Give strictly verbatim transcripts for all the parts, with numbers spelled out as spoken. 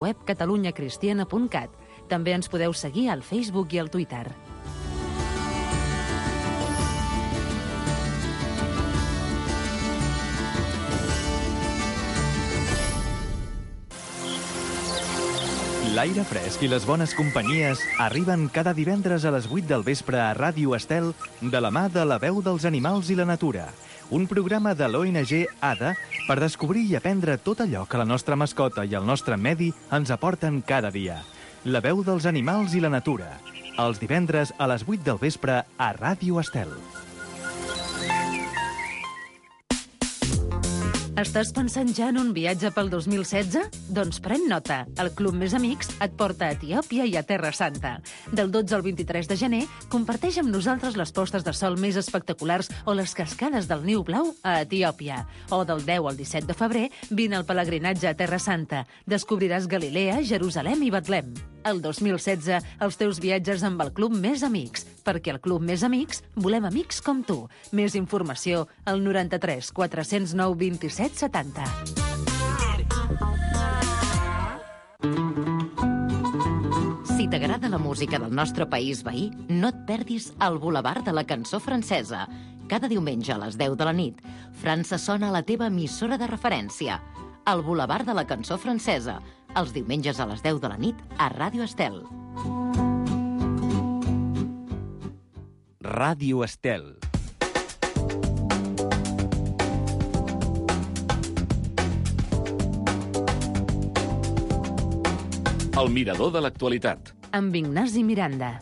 web catalunya cristiana punt cat. També ens podeu seguir al Facebook i al Twitter. L'aire fresc i les bones companyies arriben cada divendres a les vuit del vespre a Ràdio Estel de la mà de La Veu dels Animals i la Natura, un programa de l'O N G A D A per descobrir i aprendre tot allò que la nostra mascota i el nostre medi ens aporten cada dia. La Veu dels Animals i la Natura, els divendres a les vuit del vespre a Ràdio Estel. Estàs pensant ja en un viatge pel dos mil setze? Doncs pren nota. El Club Més Amics et porta a Etiòpia i a Terra Santa. Del dotze al vint-i-tres de gener, comparteix amb nosaltres les postes de sol més espectaculars o les cascades del Niu Blau a Etiòpia. O del deu al disset de febrer, vine al pelegrinatge a Terra Santa. Descobriràs Galilea, Jerusalem i Betlem. El dos mil setze, els teus viatges amb el Club Més Amics, perquè al Club Més Amics volem amics com tu. Més informació al noranta-tres quatre-cents nou vint-i-set setanta. Si t'agrada la música del nostre país veí, no et perdis el Boulevard de la Cançó Francesa. Cada diumenge a les deu de la nit, França sona a la teva emissora de referència. El Boulevard de la Cançó Francesa, els diumenges a les deu de la nit a Ràdio Estel. Ràdio Estel. El mirador de l'actualitat. Amb Ignasi Miranda.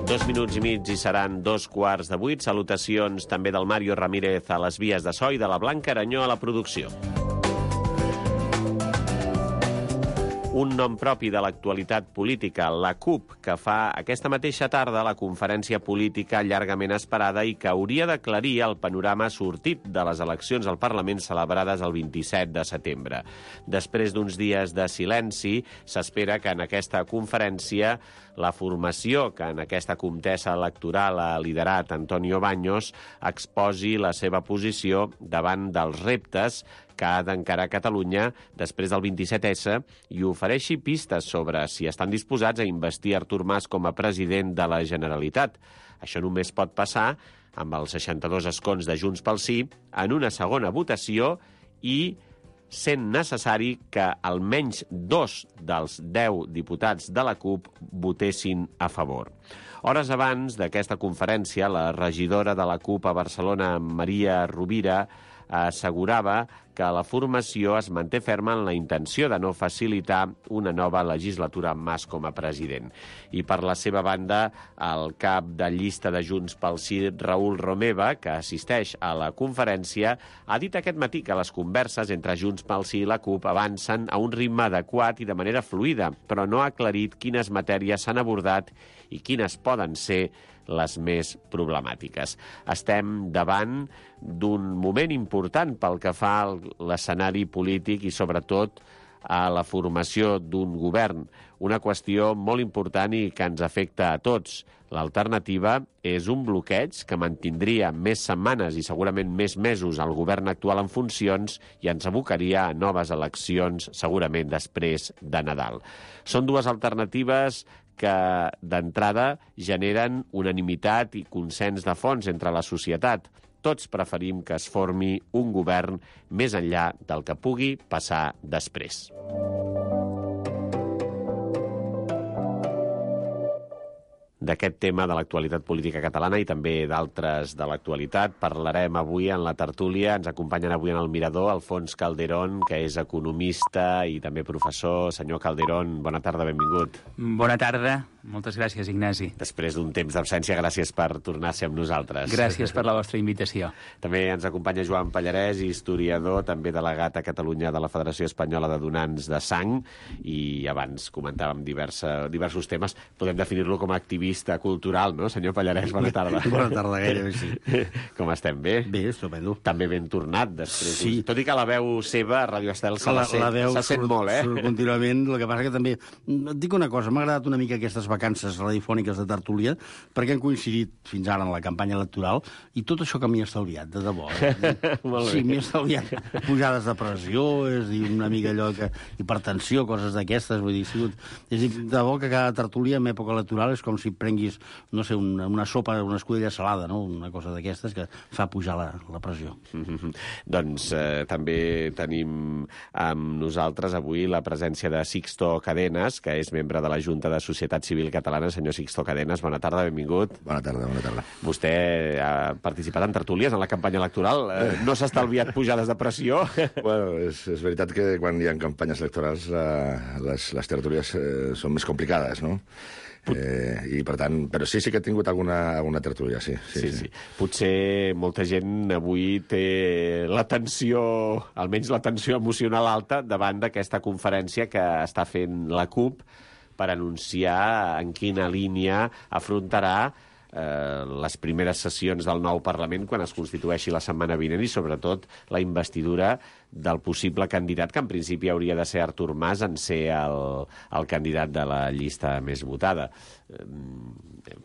Dos minuts i mig i seran dos quarts de vuit. Salutacions també del Mario Ramírez a les vies de so i de la Blanca Aranyó a la producció. Un nom propi de l'actualitat política, la CUP, que fa aquesta mateixa tarda la conferència política llargament esperada i que hauria d'aclarir el panorama sortit de les eleccions al Parlament celebrades el vint-i-set de setembre. Després d'uns dies de silenci, s'espera que en aquesta conferència la formació que en aquesta contesa electoral ha liderat Antonio Baños exposi la seva posició davant dels reptes que ha d'encarar Catalunya després del vint-i-set essa i ofereixi pistes sobre si estan disposats a investir Artur Mas com a president de la Generalitat. Això només pot passar amb els seixanta-dos escons de Junts pel Sí en una segona votació i sent necessari que almenys dos dels deu diputats de la CUP votessin a favor. Hores abans d'aquesta conferència, la regidora de la CUP a Barcelona, Maria Rovira, assegurava que la formació es manté ferma en la intenció de no facilitar una nova legislatura amb Mas com a president. I per la seva banda, el cap de llista de Junts pel Sí, Raül Romeva, que assisteix a la conferència, ha dit aquest matí que les converses entre Junts pel Sí i la CUP avancen a un ritme adequat i de manera fluida, però no ha aclarit quines matèries s'han abordat i quines poden ser les més problemàtiques. Estem davant d'un moment important pel que fa a l'escenari polític i, sobretot, a la formació d'un govern. Una qüestió molt important i que ens afecta a tots. L'alternativa és un bloqueig que mantindria més setmanes i segurament més mesos al govern actual en funcions i ens abocaria a noves eleccions, segurament després de Nadal. Són dues alternatives que d'entrada generen unanimitat i consens de fons entre la societat. Tots preferim que es formi un govern més enllà del que pugui passar després. D'aquest tema de l'actualitat política catalana i també d'altres de l'actualitat parlarem avui en la tertúlia. Ens acompanyen avui en el Mirador Alfons Calderón, que és economista i també professor. Senyor Calderón, bona tarda, benvingut. Bona tarda. Moltes gràcies, Ignasi. Després d'un temps d'absència, gràcies per tornar a ser amb nosaltres. Gràcies per la vostra invitació. També ens acompanya Joan Pallarès, historiador, també delegat a Catalunya de la Federació Espanyola de Donants de Sang, i abans comentàvem diversa, diversos temes. Podem definir-lo com a activista cultural, no, senyor Pallarès? Bona tarda. Bona tarda, gairebé, sí. Com estem, bé? Bé, estupendo. També ben tornat, després. Sí. Tot i que la veu seva a Ràdio Estel se la, la, la sent, se sent molt, eh? Surt contínuament, el que passa que també... Et dic una cosa, m'ha agradat una mica aquestes vacances radiofòniques de tertúlia, perquè han coincidit fins ara en la campanya electoral, i tot això que m'hi ha estalviat, de debò. Eh? Sí, m'hi ha estalviat pujades de pressió, és dir, una mica allò que... hipertensió, coses d'aquestes, vull dir, sigut... és dir, de debò que cada tertúlia en època electoral és com si prenguis, no sé, una, una sopa, una escudella salada, no? Una cosa d'aquestes que fa pujar la, la pressió. Mm-hmm. Doncs eh, també tenim amb nosaltres avui la presència de Sixto Cadenas, que és membre de la Junta de Societat Civil Catalana. Senyor Sixto Cadenas, bona tarda, benvingut. Bona tarda, bona tarda. Vostè ha participat en tertúlies en la campanya electoral. Eh, no s'ha estalviat pujades de pressió? Bueno, és, és veritat que quan hi ha campanyes electorals eh, les, les tertúlies eh, són més complicades, no? Eh, i per tant, però sí, sí que he tingut alguna, alguna tertúlia, sí. Sí, sí, sí. sí. Potser molta gent avui té la tensió, almenys la tensió emocional alta, davant d'aquesta conferència que està fent la CUP per anunciar en quina línia afrontarà eh, les primeres sessions del nou Parlament quan es constitueixi la setmana vinent, i sobretot la investidura del possible candidat, que en principi hauria de ser Artur Mas, en ser el, el candidat de la llista més votada.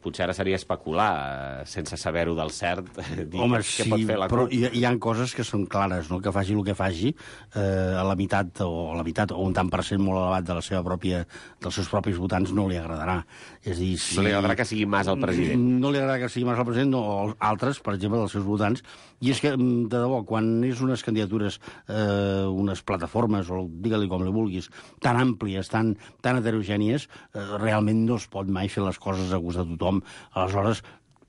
Potser ara seria especular, sense saber-ho del cert, dir Home, què sí, pot fer la però CUP. hi, hi ha coses que són clares, no? Que faci el que faci, eh, a la meitat o a la meitat o un tant per cent molt elevat de la seva pròpia, dels seus propis votants no li agradarà. És dir, si... No li agradarà que sigui Mas el president. No li agradarà que sigui Mas el president, no, o altres, per exemple, dels seus votants. I és que, de debò, quan és unes candidatures, eh, unes plataformes, o digue-li com li vulguis, tan àmplies, tan, tan heterogènies, eh, realment no es pot mai fer les coses a gust de tothom. Aleshores,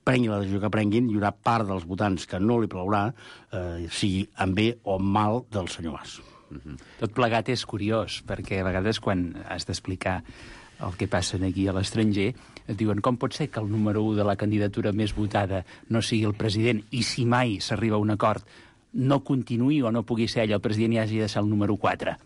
prengui la decisió que prenguin, hi haurà part dels votants que no li plaurà, eh, sigui en bé o en mal del senyor Mas. Mm-hmm. Tot plegat és curiós, perquè a vegades quan has d'explicar el que passa aquí a l'estranger, et diuen com pot ser que el número u de la candidatura més votada no sigui el president, i si mai s'arriba a un acord no continuï o no pugui ser ell el president i hagi de ser el número quatre.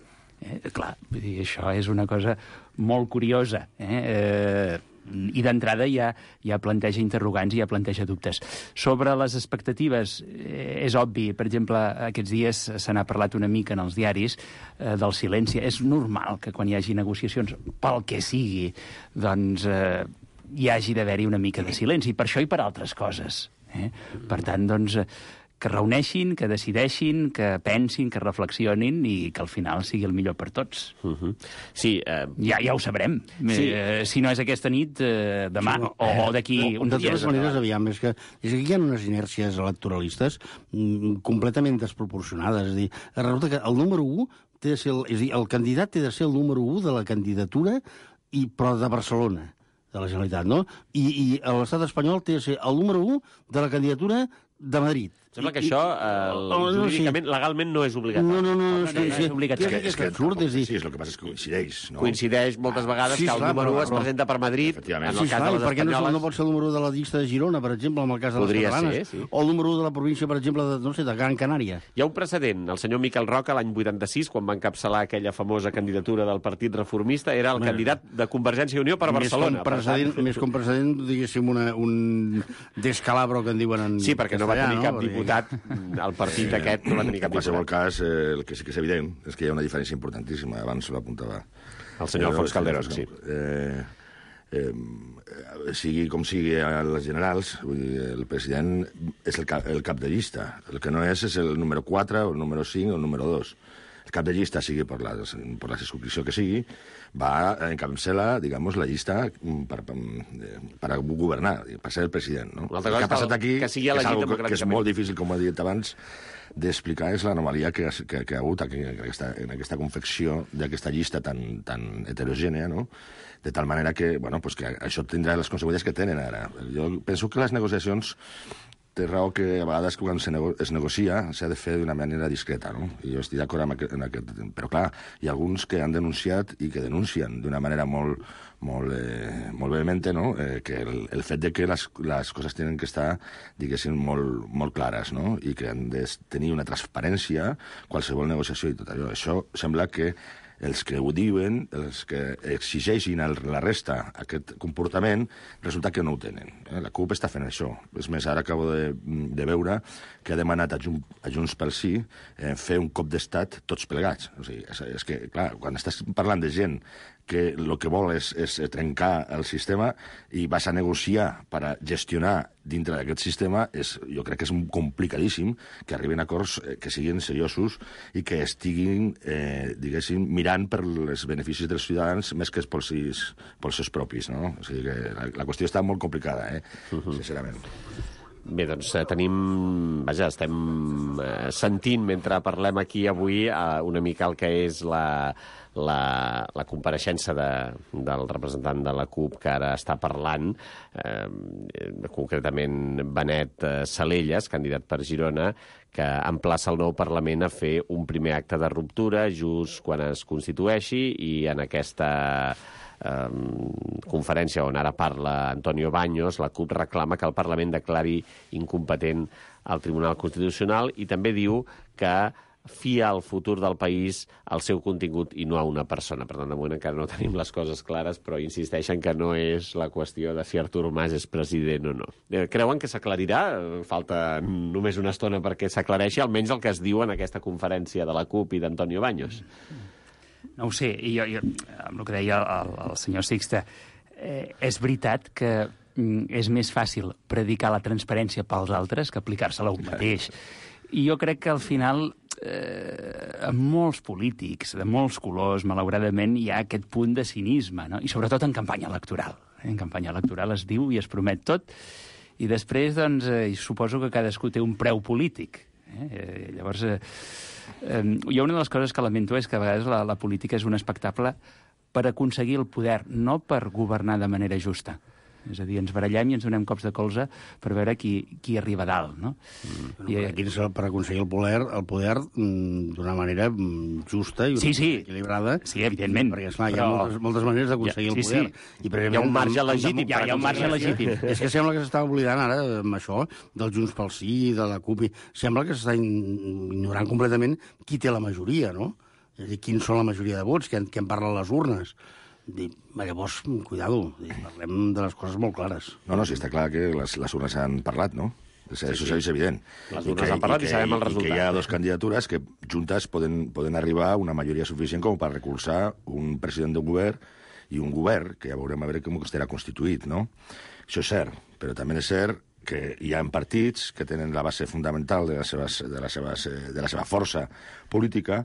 Eh, clar, vull dir, això és una cosa molt curiosa. Eh? Eh, I d'entrada ja, ja planteja interrogants i ja planteja dubtes. Sobre les expectatives, eh, és obvi, per exemple, aquests dies se n'ha parlat una mica en els diaris eh, del silenci. És normal que quan hi hagi negociacions, pel que sigui, doncs eh, hi hagi d'haver-hi una mica de silenci, per això i per altres coses. Eh? Per tant, doncs, que reuneixin, que decideixin, que pensin, que reflexionin i que al final sigui el millor per tots. Uh-huh. Sí. Eh... Ja, ja ho sabrem. Sí. Eh, si no és aquesta nit, eh, demà, sí, no. o, o d'aquí no, uns de dies. De totes maneres, aviam, és que, és que hi ha unes inèrcies electoralistes mm, completament desproporcionades. És a dir, resulta que el número u té de ser el, és a dir, el candidat té de ser el número u de la candidatura, i, però de Barcelona, de la Generalitat, no? I, i l'estat espanyol té de ser el número u de la candidatura de Madrid. Sembla que això, eh, oh, no, jurídicament, sí. legalment, no és obligatori. No, no, no, no, no, no, no és obligatori. És que, és que absurd, és dir... Sí, és el que passa és que coincideix, no? Coincideix moltes vegades sí, que el clar, número u però, es presenta per Madrid, en el sí, cas clar, de les perquè espanyoles... no, no pot ser el número de la llista de Girona, per exemple, en el cas de Podria les catalanes, ser, sí. o el número de la província, per exemple, de, no sé, de Gran Canària. Hi ha un precedent. El senyor Miquel Roca, l'any vuitanta-sis, quan va encapçalar aquella famosa candidatura del Partit Reformista, era el bueno, candidat de Convergència i Unió per més Barcelona. Com precedent, més com precedent, diguéssim, una, un descalabro que en diuen en sí, perquè no va tenir cap diputat al partit sí, aquest, no va tenir cap diputat. En qualsevol cas, eh, el que sí que és evident és que hi ha una diferència importantíssima. Abans l'apuntava el senyor Alfons Calderón, sí. Eh, eh, sigui com sigui a les generals, vull dir, el president és el cap, el cap de llista. El que no és és el número quatre, o el número cinc, o el número dos. El cap de llista, sigui per la, per la circunscripció que sigui, va encapçalar, digamos, la llista per, per, per governar, per ser el president. No? El que ha passat aquí, que, sigui que, és algo que és molt difícil, com ho he dit abans, d'explicar, és l'anomalia que, que, que ha hagut aquí, en, aquesta, en aquesta confecció d'aquesta llista tan, tan heterogènea, no? De tal manera que, bueno, pues que això tindrà les conseqüències que tenen ara. Jo penso que les negociacions té raó que a vegades quan se nego es negocia s'ha de fer d'una manera discreta, no? I jo estic d'acord amb aquest, en aquest... Però, clar, hi ha alguns que han denunciat i que denuncien d'una manera molt, molt, eh, molt vehemente, no? Eh, que el, el fet de que les, les coses tenen que estar, diguéssim, molt, molt clares, no? I que han de tenir una transparència, qualsevol negociació i tot allò. Això sembla que els que ho diuen, els que exigeixin a la resta aquest comportament, resulta que no ho tenen. Eh? La CUP està fent això. És més, ara acabo de, de veure que ha demanat a, Jun, a Junts pel Sí eh, fer un cop d'estat tots plegats. O sigui, és, és que, clar, quan estàs parlant de gent que el que vol és, és trencar el sistema i vas a negociar per a gestionar dintre d'aquest sistema, és, jo crec que és complicadíssim que arribin a acords que siguin seriosos i que estiguin, eh, diguéssim, mirant per els beneficis dels ciutadans més que pels, pels seus propis, no? O sigui que la, la qüestió està molt complicada, eh? Uh-huh. Sincerament. Bé, doncs tenim... Vaja, estem eh, sentint, mentre parlem aquí avui, eh, una mica el que és la, la, la compareixença de, del representant de la CUP que ara està parlant, eh, concretament Benet Salellas, candidat per Girona, que emplaça el nou Parlament a fer un primer acte de ruptura just quan es constitueixi, i en aquesta Um, conferència on ara parla Antonio Baños, la CUP reclama que el Parlament declari incompetent al Tribunal Constitucional i també diu que fia el futur del país al seu contingut i no a una persona. Per tant, de moment encara no tenim les coses clares, però insisteixen que no és la qüestió de si Artur Mas és president o no. Creuen que s'aclarirà? Falta només una estona perquè s'aclareixi, almenys el que es diu en aquesta conferència de la CUP i d'Antonio Baños. No ho sé, i jo, jo, amb el que deia el, el senyor Sixte, eh, és veritat que mm, és més fàcil predicar la transparència pels altres que aplicar-se-la un mateix. I jo crec que al final, eh, amb molts polítics, de molts colors, malauradament, hi ha aquest punt de cinisme, no? I sobretot en campanya electoral. En campanya electoral es diu i es promet tot, i després, doncs, eh, suposo que cadascú té un preu polític. Eh? Eh, llavors... Eh, Um, jo una de les coses que lamento és que a vegades la, la política és un espectacle per aconseguir el poder, no per governar de manera justa. És a dir, ens barallem i ens donem cops de colze per veure qui, qui arriba a dalt, no? Mm. I, aquí és per aconseguir el poder, el poder d'una manera justa i sí, sí. equilibrada. Sí, evidentment. Perquè, esclar, però... hi ha moltes, moltes maneres d'aconseguir ja, sí, el poder. Sí. I, hi ha un marge legítim. Hi ha, hi ha un marge legítim. És que sembla que s'està oblidant ara amb això, del Junts pel Sí, de la CUP. Sembla que s'està ignorant completament qui té la majoria, no? És a dir, quins són la majoria de vots, què en, què en parlen les urnes. Dir, llavors, cuidado, dir, parlem de les coses molt clares. No, no, sí, està clar que les, les urnes han parlat, no? Això sí, sí. És evident. Les urnes han parlat i, que, i sabem el resultat. I que hi ha dues candidatures que juntes poden, poden arribar a una majoria suficient com per recolzar un president de govern i un govern, que ja veurem a veure com estarà constituït, no? Això és cert, però també és cert que hi ha partits que tenen la base fundamental de, les seves, de, les seves, de la seva força política,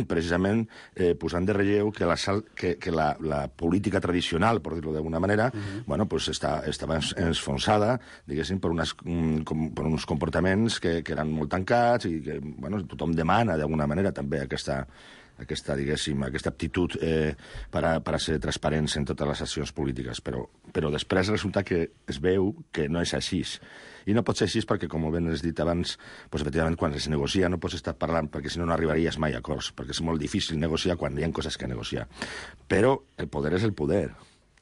precisament eh, posant de relleu que la, que, que la, la política tradicional, per dir-ho d'alguna manera, uh-huh. bueno, pues està, estava enfonsada, diguéssim, per, unes, com, per uns comportaments que, que eren molt tancats i que bueno, tothom demana d'alguna manera també aquesta... aquesta, diguéssim, aquesta aptitud eh, per, a, per a ser transparents en totes les accions polítiques, però, però després resulta que es veu que no és així. I no pot ser així perquè, com ben has dit abans, doncs, efectivament, quan es negocia no pots estar parlant, perquè si no no arribaries mai a acords, perquè és molt difícil negociar quan hi ha coses que negociar. Però el poder és el poder,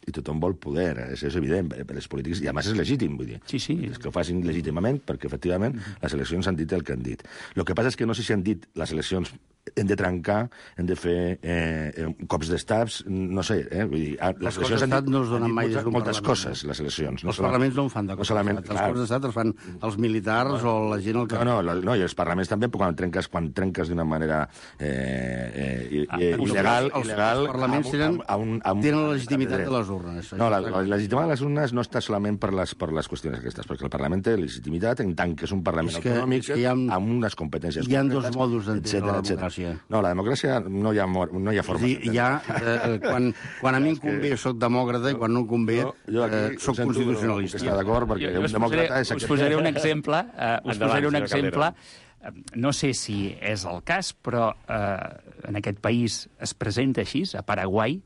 i tothom vol poder, és, és evident, per les polítics, i a més és legítim, vull dir. Sí, sí. És que ho facin legítimament, perquè efectivament les eleccions han dit el que han dit. El que passa és que no sé si han dit les eleccions hem de trencar, hem de fer eh, cops d'estats, no sé, eh? Vull dir, les, les eleccions han dit, no es donen mai moltes, des d'un moltes coses, les eleccions. No els parlaments no en fan de cops no d'estat. Els cops d'estat els fan els militars no, o la gent al carrer. No, no, no, i els parlaments també, quan trenques, quan trenques d'una manera eh, eh, ah, il·legal... Els, il·legal els parlaments tenen, a un, a un, tenen la legitimitat de les urnes. No, la, la legitimitat de les urnes no està solament per les, per les qüestions aquestes, perquè el Parlament té legitimitat en tant que és un Parlament és que, autonòmic és que ha, amb unes competències... Hi ha dos modus d'entendre la democràcia. No, la democràcia no hi ha, no hi ha forma. Sí, hi ha, eh, quan, quan a mi em convé soc demòcrata i quan no em convé jo, jo aquí, eh, soc constitucionalista. Està d'acord, perquè jo, un demòcrata és... Us posaré un exemple, uh, us posaré un exemple, uh, no sé si és el cas, però uh, en aquest país es presenta així, a Paraguai,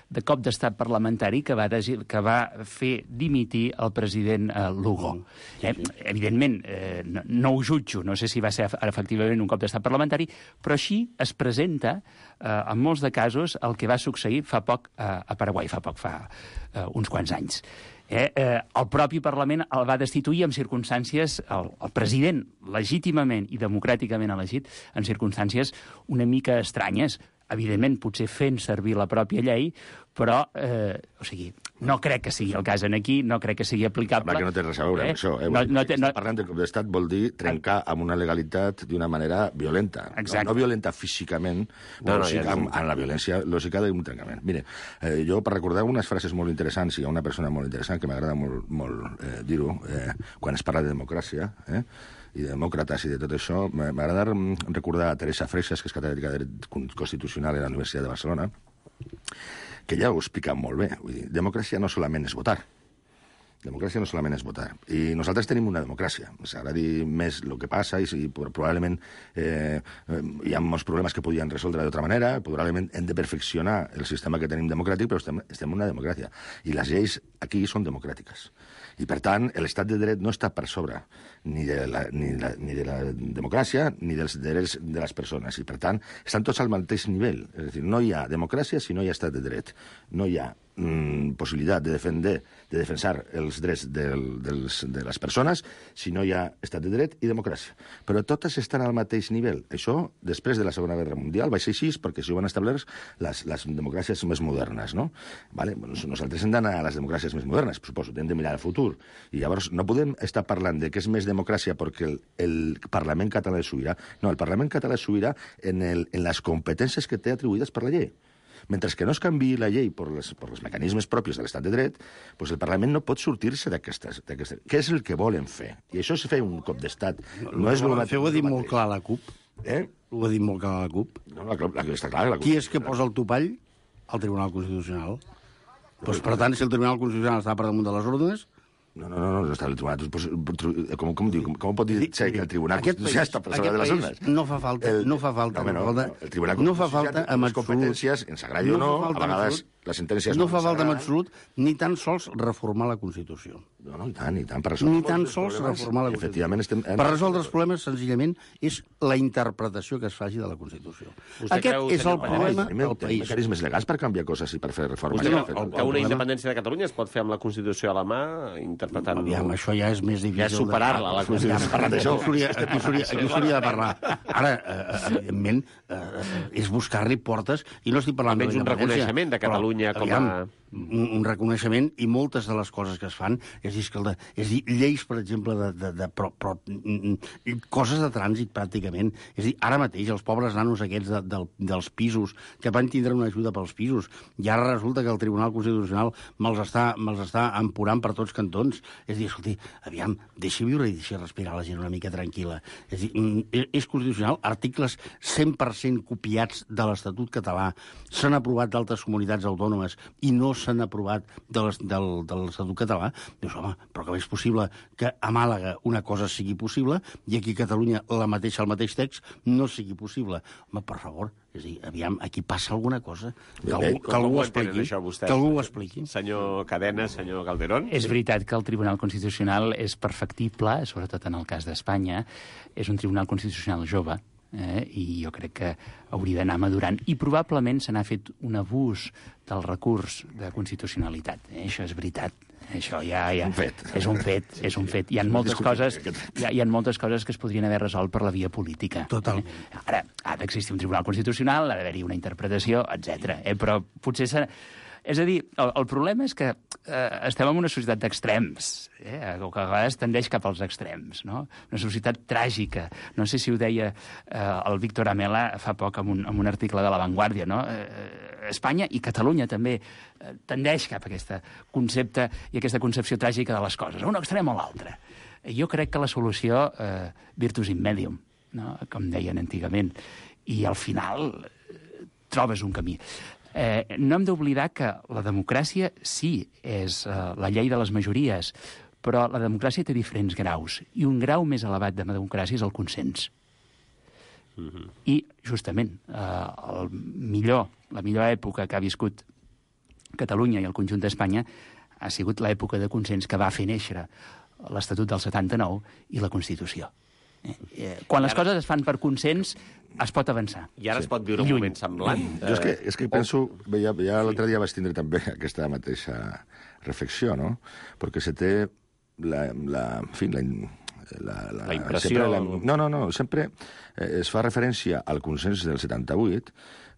de cop d'estat parlamentari que va, desi- que va fer dimitir el president eh, Lugo. Eh? Evidentment, eh, no, no ho jutjo, no sé si va ser efectivament un cop d'estat parlamentari, però així es presenta, eh, en molts de casos, el que va succeir fa poc eh, a Paraguai, fa poc, fa eh, uns quants anys. Eh, eh, el propi Parlament el va destituir en circumstàncies, el, el president legítimament i democràticament elegit, en circumstàncies una mica estranyes, evidentment potser fent servir la pròpia llei, però, eh, o sigui, no crec que sigui el cas en aquí, no crec que sigui aplicable. Sembla que no té res a veure eh? amb això. Eh? No, no té, no... Parlant de cop d'estat vol dir trencar amb una legalitat d'una manera violenta. No, no violenta físicament, no, no, sí, ja amb, amb la violència lògica d'un trencament. Mire, eh, jo per recordar unes frases molt interessants, hi ha una persona molt interessant que m'agrada molt, molt eh, dir-ho, eh, quan es parla de democràcia, eh? i de demòcrates i de tot això, m'agrada recordar a Teresa Freixas, que és catedràtica de dret constitucional a la Universitat de Barcelona, que ja ho explica molt bé. Vull dir, democràcia no solament és votar. Democràcia no solament és votar. I nosaltres tenim una democràcia. Ens agrada dir més el que passa i, i probablement eh, hi ha molts problemes que podien resoldre d'altra manera, probablement hem de perfeccionar el sistema que tenim democràtic, però estem, estem en una democràcia. I les lleis aquí són democràtiques. I, per tant, l'estat de dret no està per sobre ni de la, ni la, ni de la democràcia ni dels drets de les persones. I, per tant, estan tots al mateix nivell. És a dir, no hi ha democràcia si no hi ha estat de dret. No hi ha mm, possibilitat de, defender, de defensar els drets del, dels, de les persones si no hi ha estat de dret i democràcia. Però totes estan al mateix nivell. Això, després de la Segona Guerra Mundial, va ser així perquè s'hi van establir les, les democràcies més modernes, no? Vale? Bueno, nosaltres hem d'anar a les democràcies més modernes, suposo, hem de mirar al futur. I llavors no podem estar parlant de que és més democràcia perquè el, el Parlament català és sobirà. No, el Parlament català és sobirà en, el, en les competències que té atribuïdes per la llei. Mentre que no es canviï la llei per les, per els mecanismes propis de l'estat de dret, doncs el Parlament no pot sortir-se d'aquestes... Què és el que volen fer? I això és fer un cop d'estat. No, no és el que ho ha dit molt clar la CUP. Eh? Ho ha dit molt clar la CUP. No, la, la, la, està clar, la CUP. Qui és que posa el topall? El Tribunal Constitucional. Doncs, per tant, si el Tribunal Constitucional està per damunt de les ordres... No, no, no, no està el Tribunal... Com, com, diu, com, com pot dir que el Tribunal Constitucional està per sobre de les ordres? No fa falta, el, no fa falta. No, no, no, el Tribunal no fa falta amb les competències, ens agradi o no, a vegades les sentències no fa falta en absolut ni tan sols reformar la Constitució. No, no, i tant, i tant. Per resoldre ni tan sols reformar la Constitució. Estem... Per resoldre els problemes, senzillament, és la interpretació que es faci de la Constitució. Vostè Aquest creu, és el problema del país. Mecanismes legals per canviar coses i per fer reformes. Vostè creu que una independència de Catalunya es pot fer amb la Constitució a la mà, interpretant... Aviam, això ja és més difícil... Ja superar-la, la Constitució. Parlant d'això. Aquí s'hauria de parlar. Ara, evidentment, és buscar-li portes, i no estic parlant de almenys un reconeixement de Catalunya com a... Un, un reconeixement, i moltes de les coses que es fan, és dir, escolta, és dir, lleis, per exemple, de, de, de però, però, coses de trànsit, pràcticament. És dir, ara mateix, els pobres nanos aquests de, de, dels pisos, que van tindre una ajuda pels pisos, i ara resulta que el Tribunal Constitucional me'ls està, me'ls està empurant per tots cantons. És dir, escolti, aviam, deixi viure i deixi respirar la gent una mica tranquil·la. És dir, és constitucional, articles cent per cent copiats de l'Estatut català, s'han aprovat d'altres comunitats autònomes i no s'han aprovat de l'Estatut català. Dius, home, però com és possible que a Màlaga una cosa sigui possible i aquí a Catalunya la mateixa, el mateix text no sigui possible? Home, per favor, és a dir, aviam, aquí passa alguna cosa. Que algú, que algú ho expliqui. Això, vostès, que algú ho expliqui. Senyor Cadena, senyor Calderón. És veritat que el Tribunal Constitucional és perfectible, sobretot en el cas d'Espanya. És un Tribunal Constitucional jove, eh? I jo crec que hauria d'anar madurant. I probablement se n'ha fet un abús del recurs de constitucionalitat. Eh? Això és veritat. Això ja, ja un fet. és un fet, és un fet. Hi ha moltes coses, hi ha, hi ha moltes coses que es podrien haver resolt per la via política. Total. Eh? Ara, ha d'existir un Tribunal Constitucional, ha d'haver-hi una interpretació, etcètera. Eh? Però potser serà... És a dir, el, el problema és que eh, estem en una societat d'extrems, eh, que a vegades tendeix cap als extrems, no? Una societat tràgica. No sé si ho deia eh, el Víctor Amela fa poc en un, en un article de La Vanguardia, no? Eh, Espanya i Catalunya també eh, tendeix cap a aquest concepte i aquesta concepció tràgica de les coses, a un extrem o l'altre. Jo crec que la solució, eh, virtus in medium, no? Com deien antigament, i al final eh, trobes un camí. Eh, no hem d'oblidar que la democràcia sí és eh, la llei de les majories, però la democràcia té diferents graus, i un grau més elevat de democràcia és el consens. Mm-hmm. I, justament, eh, el millor, la millor època que ha viscut Catalunya i el conjunt d'Espanya ha sigut l'època de consens que va fer néixer l'Estatut del setanta-nou i la Constitució. Eh, eh, quan les coses es fan per consens, es pot avançar. I ara sí. es pot viure un moment semblant. Jo és que, és que penso... Ja, ja l'altre dia vaig tindre també aquesta mateixa reflexió, no? Perquè se té la... la en fi, la, la, la, la impressió... La, no, no, no, sempre eh, es fa referència al consens del setanta-vuit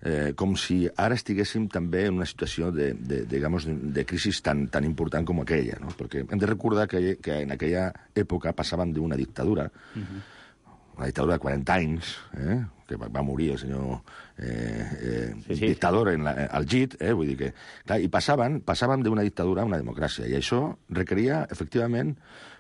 eh, com si ara estiguéssim també en una situació de, de, digamos, de crisi tan, tan important com aquella, no? Perquè hem de recordar que, que en aquella època passàvem d'una dictadura, uh-huh. una dictadura de quaranta anys, eh? que va, va morir el senyor eh, eh, sí, sí. dictador en la, al G I T, eh? Vull dir que... Clar, i passaven, passaven d'una dictadura a una democràcia, i això requeria, efectivament,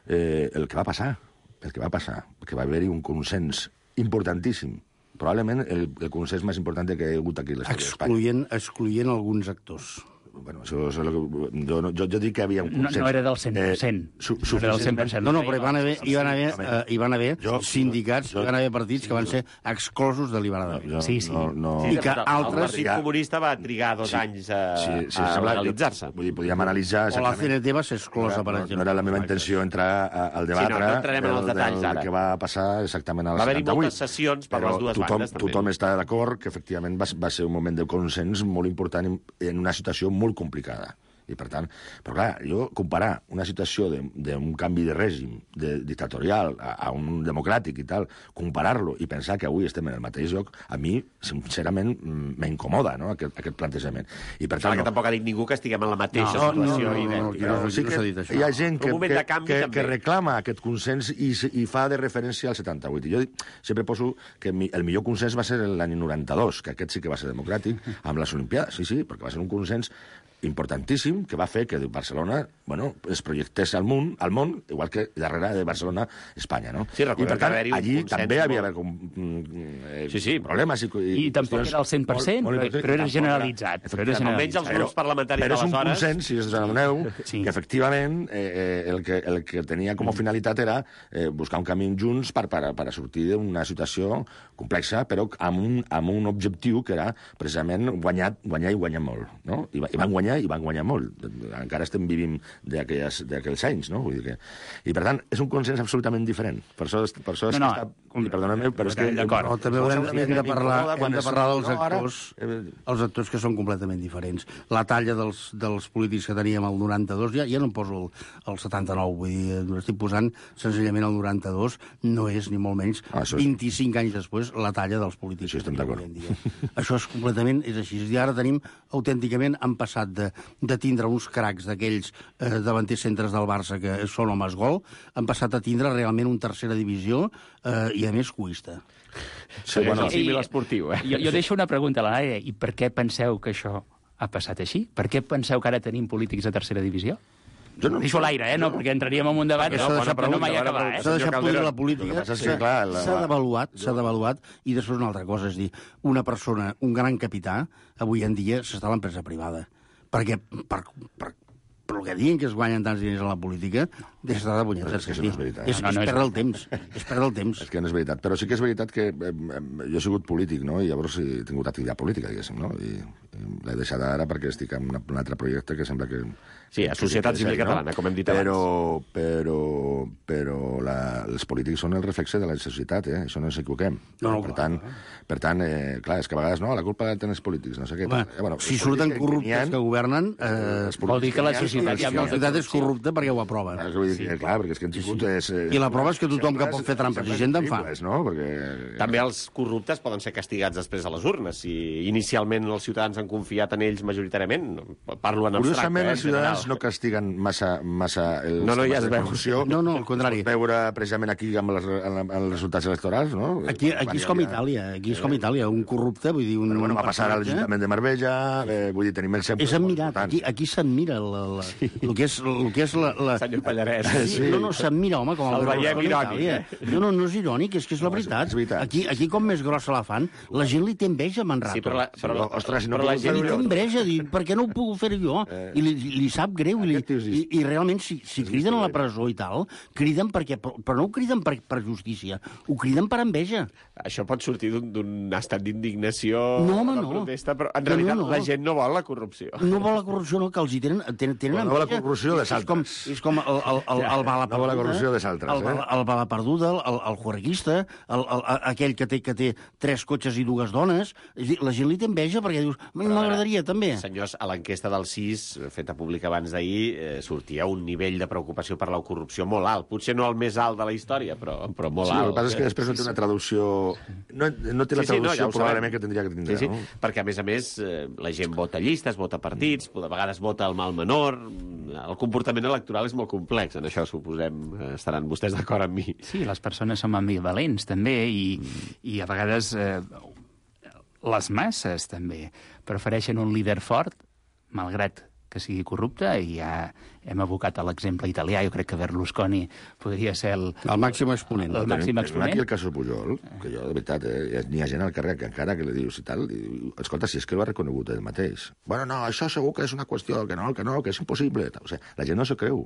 eh, el que va passar, el que va passar, que va haver-hi un consens importantíssim, probablement el, el consens més important que hi ha hagut aquí a l'Estat d'Espanya. Excloent alguns actors. Bueno, això és el que... Jo, jo, jo dic que hi havia un consens. No, no era del cent per cent. Eh, su, no era del cent per cent. No, no, però hi van haver, hi van haver, uh, hi van haver jo, sindicats, jo, hi van haver partits que van ser exclosos deliberadament. No, sí, sí. No, no. I que altres... El Partit Comunista va trigar dos sí, anys a, sí, sí, a legalitzar-se. Vull dir, podíem analitzar... O la C N T va ser exclosa, per exemple. No era la meva intenció entrar al debatre sí, no, no entrarem en els detalls, ara. Que va passar exactament al setanta-vuit. Va haver-hi moltes sessions per les dues tothom, bandes, també. Tothom està d'acord que, efectivament, va, va ser un moment de consens molt important en una situació molt complicada. I, per tant, però clar, jo comparar una situació d'un canvi de règim de, dictatorial a, a un democràtic i tal, comparar-lo i pensar que avui estem en el mateix lloc, a mi, sincerament, m'incomoda, no?, aquest, aquest plantejament. I per tant, no. que tampoc ha dit ningú que estiguem en la mateixa no, situació. No, no, no, no, no, no, sí que hi ha gent que, que, canvi, que, que reclama aquest consens i, i fa de referència al setanta-vuit. I jo sempre poso que el millor consens va ser l'any noranta-dos, que aquest sí que va ser democràtic, amb les Olimpiades, sí, sí, perquè va ser un consens importantíssim que va fer que Barcelona, bueno, es projectés al món, al món, igual que darrere de Barcelona, Espanya, no? Sí, I per tant, allí també hi havia molt... eh, sí, sí. problemes. I, i, I tampoc era el cent per cent, molt, molt, però era generalitzat. Però era generalitzat. Almenys els grups parlamentaris però és un d'aleshores... consens, si us adoneu, sí. que efectivament eh, el, que, el que tenia com a finalitat era eh, buscar un camí junts per, per, per a sortir d'una situació complexa, però amb un, amb un objectiu que era precisament guanyar, guanyar i guanyar molt, no? I, i van guanyar i van guanyar molt. Encara estem vivint d'aquells anys, no? Vull dir que... I, per tant, és un consens absolutament diferent. Per això, per això és no, no, que està... Com... Perdona-me, però és que... D'acord. No, també haurem, hem de parlar, hem de parlar dels actors, els actors que són completament diferents. La talla dels, dels polítics que teníem al noranta-dos, ja, ja no em poso el, el setanta-nou, vull dir, estic posant senzillament el noranta-dos, no és, ni molt menys, ah, és... vint-i-cinc anys després, la talla dels polítics. Això estem d'acord. Això és completament, és així. I ara tenim, autènticament, han passat de, de tindre uns cracs d'aquells eh, davanters centres del Barça que són homes gol, han passat a tindre realment un tercera divisió eh, i, a més, cuista. Sí, bueno, el símil esportiu, eh? Jo, jo deixo una pregunta a la Laia. I per què penseu que això ha passat així? Per què penseu que ara tenim polítics de tercera divisió? Jo no deixo l'aire, eh? No, perquè entraríem en un debat no, no, no mai acabar, eh? S'ha deixat podrir la política, s'ha devaluat, s'ha devaluat, i després una altra cosa, és dir, una persona, un gran capità, avui en dia s'està a l'empresa privada. Perquè, per, per, per el que diuen que es guanyen tants diners a la política, deixa de punyetes. És que això no és veritat. És, és perdre el temps, és perdre el temps. És que no és veritat, però sí que és veritat que eh, jo he sigut polític, no?, i llavors he tingut activitat política, diguéssim, no?, i, i l'he deixat ara perquè estic en una, un altre projecte que sembla que... Sí, a Societat Civil Catalana, com hem dit però, abans. Però, però la, els polítics són el reflexe de la societat, eh? Això no ens equivoquem. No, no, per tant, per tant eh, clar, és que a vegades no, la culpa la tenen els polítics, no sé què. Home, eh, bueno, si surten corruptes que, que governen, eh, vol dir que la societat, ja la societat és corrupta perquè ho aprova. Ah, vull dir que, clar, perquè és que hem tingut... Sí. És, I la prova és que tothom que pot fer trampes i gent en fa. No? Perquè... També els corruptes poden ser castigats després a les urnes. Si inicialment els ciutadans han confiat en ells majoritàriament, parlo en abstracte. Curiosament, eh, els ciutadans no castiguen massa, massa els no, no, ja es veu. No, no, al contrari. Es pot veure precisament aquí amb els, amb els resultats electorals, no? Aquí, aquí és com Itàlia, aquí és com Itàlia, un corrupte, vull dir... Un, Però, bueno, va passar a l'Ajuntament de Marbella, eh, vull dir, tenim exemples... És admirat, aquí, aquí s'admira el sí. que és, el que és la... la... Senyor Pallarès. Sí. No, no, s'admira, home, com el... El veiem irònic, eh? No, no, no és irònic, és que és la veritat. És veritat. Aquí, aquí com més grossa la fan, la gent li té enveja a Manrato. Sí, però la, però, sí, ostres, si no però la gent li té enveja, dir, per què no ho puc fer jo? Eh. I li, li sap greu, i, li, i, i realment, si, si criden a la presó i tal, criden perquè... Però no ho criden per, per justícia, ho criden per enveja. això pot sortir d'un estat d'indignació, no, home, de no. protesta, però en realitat no, no. la gent no vol la corrupció. No vol la corrupció, no, que els hi tenen... tenen, tenen no vol la corrupció de saltres. És com, és com el, el, el, el bala perduda... No vol la corrupció de saltres, el, el, el bala perduda, el, el juerguista, el, el, aquell que té, que té tres cotxes i dues dones. És dir, la gent li té enveja perquè dius, m'agradaria també. Senyors, a l'enquesta del C I S, feta pública abans d'ahir, eh, sortia un nivell de preocupació per la corrupció molt alt. Potser no el més alt de la història, però, però molt sí, alt. El que passa és que després no té una traducció... No, no té la sí, sí, traducció no, ja probablement que tindria que tindre, sí, sí. no? Perquè, a més a més, eh, la gent vota llistes, vota partits, de vegades vota el mal menor... El comportament electoral és molt complex, en això suposem, estaran vostès d'acord amb mi. Sí, les persones som ambivalents, també, i, mm. i a vegades eh, les masses, també, prefereixen un líder fort, malgrat que sigui corrupte, i ja hem abocat a l'exemple italià. Jo crec que Berlusconi podria ser el... El màxim exponent. El màxim exponent. Aquí el cas Pujol, que jo, de veritat, eh, n'hi ha gent al carrer que encara que li dius i tal, i diu, escolta, si és que ho ha reconegut ell mateix. Bueno, no, això segur que és una qüestió, que no, que no, que és impossible. O sigui, la gent no s'ho creu.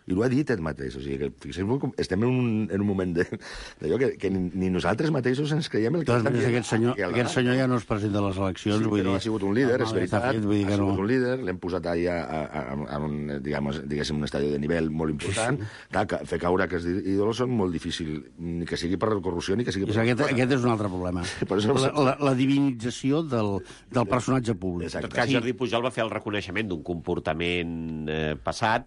I ho ha dit ell mateix. O sigui, que fixeu-vos com estem en un, en un moment d'allò que, que ni, ni nosaltres mateixos ens creiem el que doncs, estan dient. Aquest senyor, aquest senyor ja no es presenta a les eleccions. Sí, vull però dir, ha sigut un líder, és veritat. Fet, vull dir ha que no. sigut un líder, l'hem posat allà a, a, a, a un, digamos, diguéssim, un estadi de nivell molt important. Sí. Clar, que fer caure aquests ídols són molt difícil, ni que sigui per corrupció ni que sigui per... Aquest, aquest és un altre problema. La, la, la divinització del, del personatge públic. En tot cas, Jordi Pujol va fer el reconeixement d'un comportament eh, passat,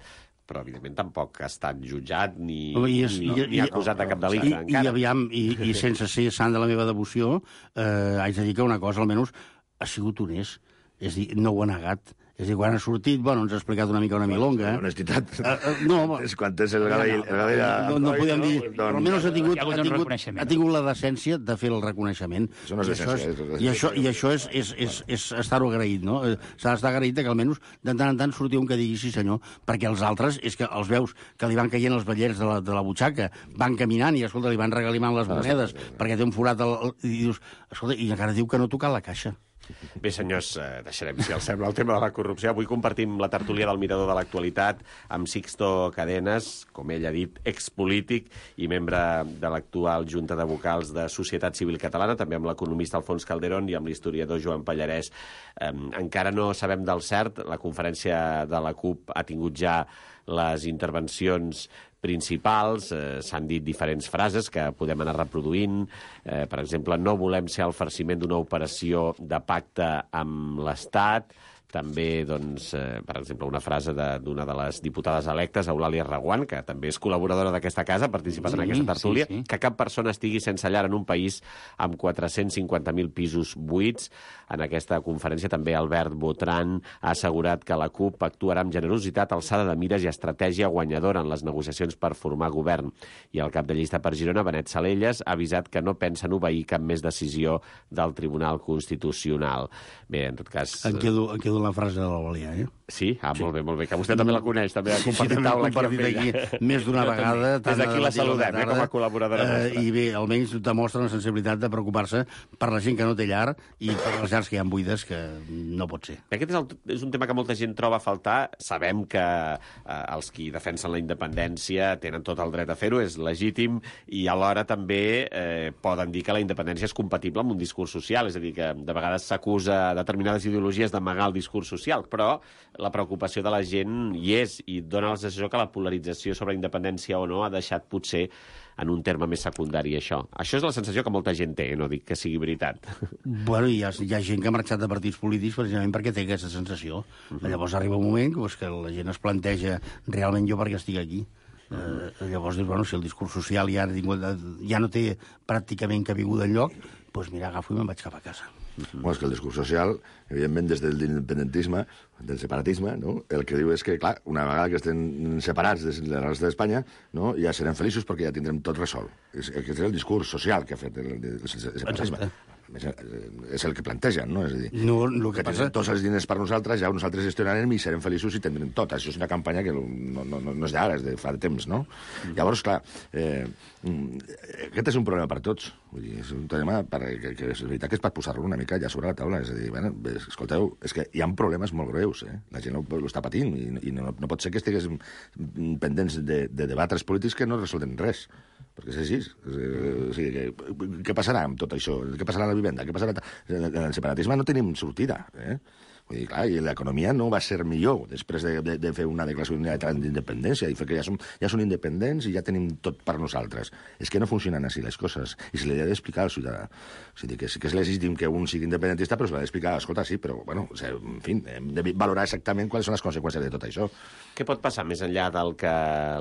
però, evidentment, tampoc ha estat jutjat ni, I és, ni, i, ni acusat de cap delicte, i, encara. I, aviam, i, i sense ser sant de la meva devoció, eh, haig de dir que una cosa, almenys, ha sigut honest. És a dir, no ho ha negat. És a dir, quan ha sortit, bueno, ens ha explicat una mica una milonga. Honestitat. Uh, uh, no, és quan tens el Gadell... El Gadell no, no, no podem dir... Doncs, però almenys ha tingut, ha, ha, tingut, ha tingut la decència de fer el reconeixement. Això no és decència. I això, i això és, és, és, és estar-ho agraït, no? S'ha d'estar agraït que almenys de tant en tant surti un que digui sí senyor, perquè els altres és que els veus que li van caient els ballers de la, de la butxaca, van caminant i, escolta, li van regalimant les monedes perquè té un forat al, al, i dius, escolta, i encara diu que no toca la caixa. Bé, senyors, eh, deixarem, si els sembla, el tema de la corrupció. Avui compartim la tertúlia del Mirador de l'Actualitat amb Sixto Cadenas, com ell ha dit, expolític i membre de l'actual Junta de Vocals de Societat Civil Catalana, també amb l'economista Alfons Calderón i amb l'historiador Joan Pallarès. Eh, encara no sabem del cert, la conferència de la CUP ha tingut ja les intervencions principals, eh, s'han dit diferents frases que podem anar reproduint. Eh, per exemple, no volem ser el farciment d'una operació de pacte amb l'Estat. També, doncs, eh, per exemple, una frase d'una de, de les diputades electes, Eulàlia Reguant, que també és col·laboradora d'aquesta casa, ha participat sí, en aquesta tertúlia, sí, sí. Que cap persona estigui sense llar en un país amb quatre-cents cinquanta mil pisos buits. En aquesta conferència també Albert Botran ha assegurat que la CUP actuarà amb generositat, alçada de mires i estratègia guanyadora en les negociacions per formar govern. I el cap de llista per Girona, Benet Salelles, ha avisat que no pensen obeir cap més decisió del Tribunal Constitucional. Bé, en tot cas... Em quedo, em quedo la frase de l'Eulàlia, eh? Sí? Ah, sí. Molt bé, molt bé. Que vostè també la coneix, també ha compartit sí, taula aquí amb ella. Aquí, més d'una vegada. Des d'aquí la saludem, eh, com a col·laboradora eh, nostra. I bé, almenys demostra una sensibilitat de preocupar-se per la gent que no té llar i per les llars que hi ha buides, que no pot ser. Aquest és, el, és un tema que molta gent troba a faltar. Sabem que eh, els qui defensen la independència tenen tot el dret a fer-ho, és legítim, i alhora també eh, poden dir que la independència és compatible amb un discurs social, és a dir, que de vegades s'acusa determinades ideologies d'amagar el discurs social, però la preocupació de la gent hi és, i dona la sensació que la polarització sobre independència o no ha deixat potser en un terme més secundari això. Això és la sensació que molta gent té, no dic que sigui veritat. Bueno, hi ha, hi ha gent que ha marxat de partits polítics precisament perquè té aquesta sensació. Uh-huh. Llavors arriba un moment pues, que la gent es planteja realment jo perquè estic aquí. Uh-huh. Eh, llavors dius, bueno, si el discurs social ja, ja no té pràcticament cabuda enlloc, doncs mira, agafo i me'n vaig cap a casa. Bueno, és que el discurs social, evidentment, des de l'independentisme, del separatisme, no? El que diu és que, clar, una vegada que estem separats de la resta d'Espanya, no? Ja serem feliços perquè ja tindrem tot resolt. És, aquest és el discurs social que ha fet el, el, el separatisme. És el que plantegen, no? És a dir, no, el que, que passa... tots els diners per nosaltres, ja nosaltres gestionarem i serem feliços i tindrem tot. Això és una campanya que no, no, no, no és d'ara, és de fa de temps, no? Mm. Llavors, clar, eh, aquest és un problema per tots. Vull dir, és un tema per, que, que és veritat que és per posar-lo una mica ja sobre la taula. És a dir, bueno, escolteu, és que hi ha problemes molt greus, eh? La gent ho, ho està patint i, i no, no pot ser que estigués pendents de, de debatres polítics que no resolden res. Perquè és així. O sigui, que, què passarà amb tot això? Què passarà amb la vivenda? Què passarà? En el separatisme no tenim sortida, eh? Vull dir, clar, i l'economia no va ser millor després de, de, de fer una declaració d'independència i fer que ja som, ja són independents i ja tenim tot per nosaltres. És que no funcionen així les coses. I se li ha d'explicar al ciutadà. O sigui, que, que és legítim que un sigui independentista, però se l'ha d'explicar, escolta, sí, però, bueno, o sigui, en fi, hem de valorar exactament quines són les conseqüències de tot això. Què pot passar més enllà del que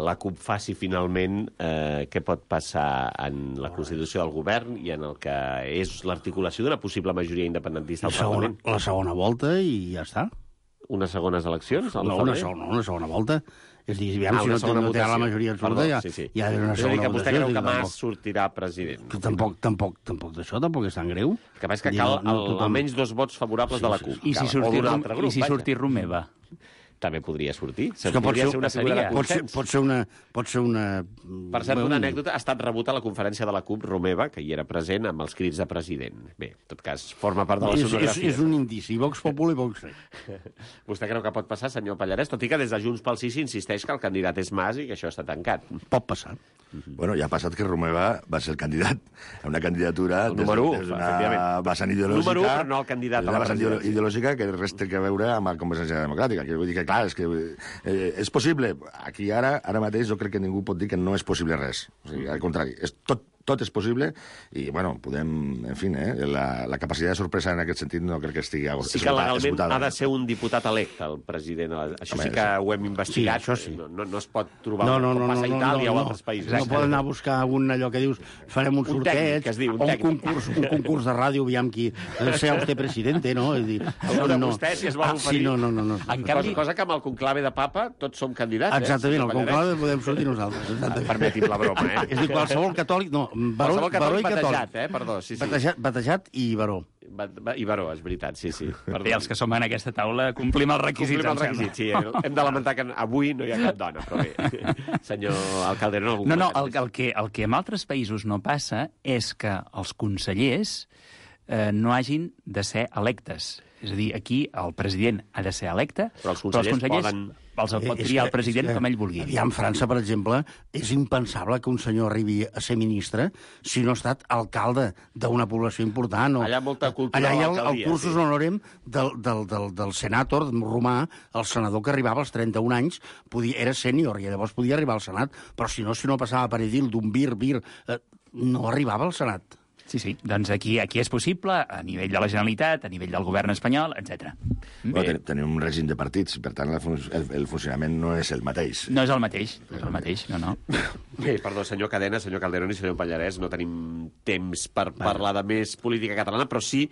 la CUP faci finalment? Eh, què pot passar en la Constitució del govern i en el que és l'articulació d'una possible majoria independentista al segona, Parlament? La segona volta i i ja està. Unes segones eleccions? No, una segona, no, una segona volta. És dir, aviam, ah, si no, té, no té la majoria absoluta, ja, sí, sí. ja és una és segona que vostè votació. Creu que Mas sortirà president? Que tampoc, tampoc, tampoc d'això, tampoc és tan greu. El que passa és que cal no, no, almenys dos vots favorables sí, de la CUP. I si sortir, grup, i si sortir Romeva? També podria sortir. És que pot ser, ser una figura de consens. Pot ser una... Pot ser una... Per cert, una anècdota, ha estat rebut a la conferència de la CUP Romeva, que hi era present amb els crits de president. Bé, en tot cas, forma part de la sonografia. És, és un indici, Vox Populi i Vox Rei. Vostè creu que pot passar, senyor Pallarès? Tot i que des de Junts pel Sí s'insisteix que el candidat és Mas i que això està tancat. Pot passar. Bueno, ja ha passat que Romeva va ser el candidat a una candidatura el número u, des d'una vessant ideològica. Número u, però no el candidat a la presidència. Ideològica que res té a veure amb la Convergència Democràtica. Que vull dir que, clar, és que eh, és possible. Aquí ara, ara mateix jo crec que ningú pot dir que no és possible res. O sigui, al contrari, és tot tot és possible i, bueno, podem, en fi, eh, la, la capacitat de sorpresa en aquest sentit no crec que estigui esgotada. Sí que legalment ha de ser un diputat electe, el president. Això Home, sí que ho hem investigat. Sí, això sí. No, no, no es pot trobar no, no, com no, passa a no, Itàlia no, no, o altres països. No poden anar a buscar un allò que dius farem un, un sorteig, tècnic, que es diu, un, un, concurs, un concurs de ràdio, aviam qui sea usted presidente, no? És dir, no, no. Vostè, si es vol ah, oferir. Sí, no, no, no, no. En canvi... cosa, cosa que amb el conclave de papa tots som candidats. Exactament, eh? el conclave podem sortir nosaltres. Exactament. Permeti'm la broma, eh? És dir, qualsevol catòlic... No, baró, qualsevol catòlic baró i catòlic. Batejat, eh? Perdó, sí, sí. Batejat, batejat i baró. I baró, és veritat, sí, sí. I els que som en aquesta taula complim els requisits. Complim els requisits, sí. Hem de lamentar que avui no hi ha cap dona, però bé. Senyor alcalde, no... No, no, el, el, que, el que en altres països no passa és que els consellers eh, no hagin de ser electes. És a dir, aquí el president ha de ser electe, però els consellers, però els consellers poden... els el pot triar el president que, com ell vulgui. Aviam, França, per exemple, és impensable que un senyor arribi a ser ministre si no ha estat alcalde d'una població important. O... Allà molta cultura Allà hi ha el, el l'alcaldia, cursus sí. honorem del, del, del, del senàtor romà, el senador que arribava als trenta-un anys, podia, era sènior, i llavors podia arribar al Senat, però si no, si no passava per edil d'un vir, vir, eh, no arribava al Senat. Sí, sí. Doncs aquí, aquí és possible, a nivell de la Generalitat, a nivell del govern espanyol, etcètera. Bueno, ten, tenim un règim de partits, per tant, el, el, el funcionament no és el mateix. No és el mateix, no és el mateix, no, no. Bé, perdó, senyor Cadena, senyor Calderón i senyor Pallarès, no tenim temps per Va. parlar de més política catalana, però sí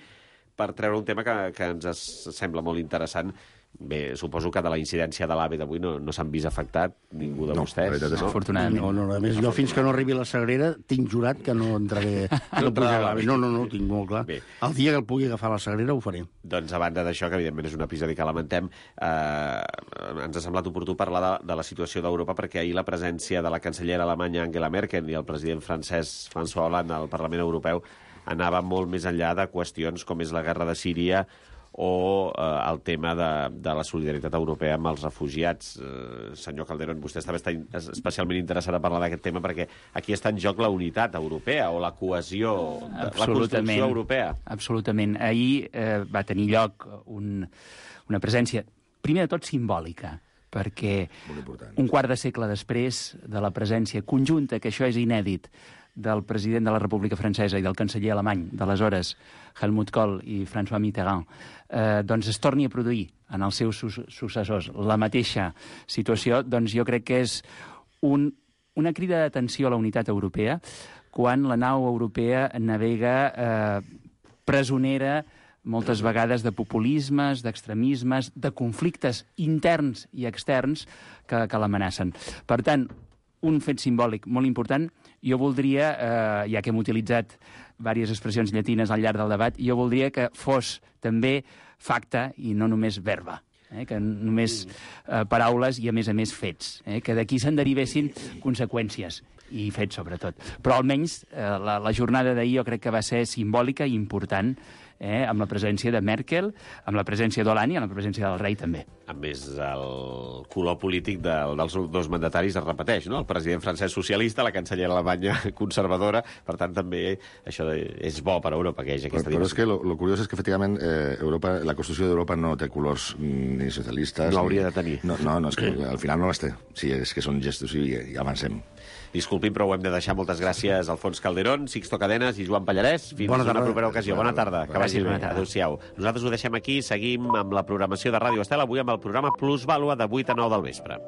per treure un tema que, que ens sembla molt interessant. Bé, suposo que de la incidència de l'AVE d'avui no, no s'han vist afectat ningú de no, vostès. No, afortunadament. No, no, a més, jo fins que no arribi la Sagrera tinc jurat que no entraré... No, l'AVE. no, no, no, ho tinc molt clar. Bé. El dia que el pugui agafar la Sagrera ho faré. Doncs a banda d'això, que evidentment és un episodi que lamentem, eh, ens ha semblat oportú parlar de, de la situació d'Europa, perquè ahir la presència de la cancellera alemanya Angela Merkel i el president francès François Hollande al Parlament Europeu anava molt més enllà de qüestions com és la guerra de Síria o eh, el tema de, de la solidaritat europea amb els refugiats. Eh, senyor Calderón, vostè estava especialment interessat a parlar d'aquest tema perquè aquí està en joc la unitat europea o la cohesió, la construcció europea. Absolutament. Ahir eh, va tenir lloc un, una presència, primer de tot, simbòlica, perquè un quart de segle després de la presència conjunta, que això és inèdit, del president de la República Francesa i del canceller alemany d'aleshores, Helmut Kohl i François Mitterrand, eh, doncs es torni a produir en els seus su successors la mateixa situació, doncs jo crec que és un, una crida d'atenció a la unitat europea quan la nau europea navega eh, presonera moltes vegades de populismes, d'extremismes, de conflictes interns i externs que, que l'amenacen. Per tant, un fet simbòlic molt important. Jo voldria, eh, ja que hem utilitzat diverses expressions llatines al llarg del debat, jo voldria que fos també facta i no només verba, eh, que només eh, paraules i, a més a més, fets, eh, que d'aquí se'n derivessin conseqüències. i fet, sobretot. Però almenys eh, la, la jornada d'ahir jo crec que va ser simbòlica i important, eh, amb la presència de Merkel, amb la presència d'Hollande i amb la presència del rei també. A més, el color polític de, dels dos mandataris es repeteix, no? El president francès socialista, la cancellera alemanya conservadora, per tant també això és bo per a Europa, que hi hagi aquesta però, però divisió. és que lo, lo curiós és que efectivament eh, Europa, la Constitució d'Europa no té colors ni socialistes... No hauria ni... de tenir. No, no, no, és que al final no les té. Sí, és que són gestos i, i avancem. Disculpin, però ho hem de deixar. Moltes gràcies a Alfons Calderón, Sixto Cadenes i Joan Pallarès. Fins Bona una tarda. propera ocasió. Bona tarda. Que vagi bé. Adéu-siau. Nosaltres ho deixem aquí. Seguim amb la programació de Ràdio Estel, avui amb el programa Plusvàlua de vuit a nou del vespre.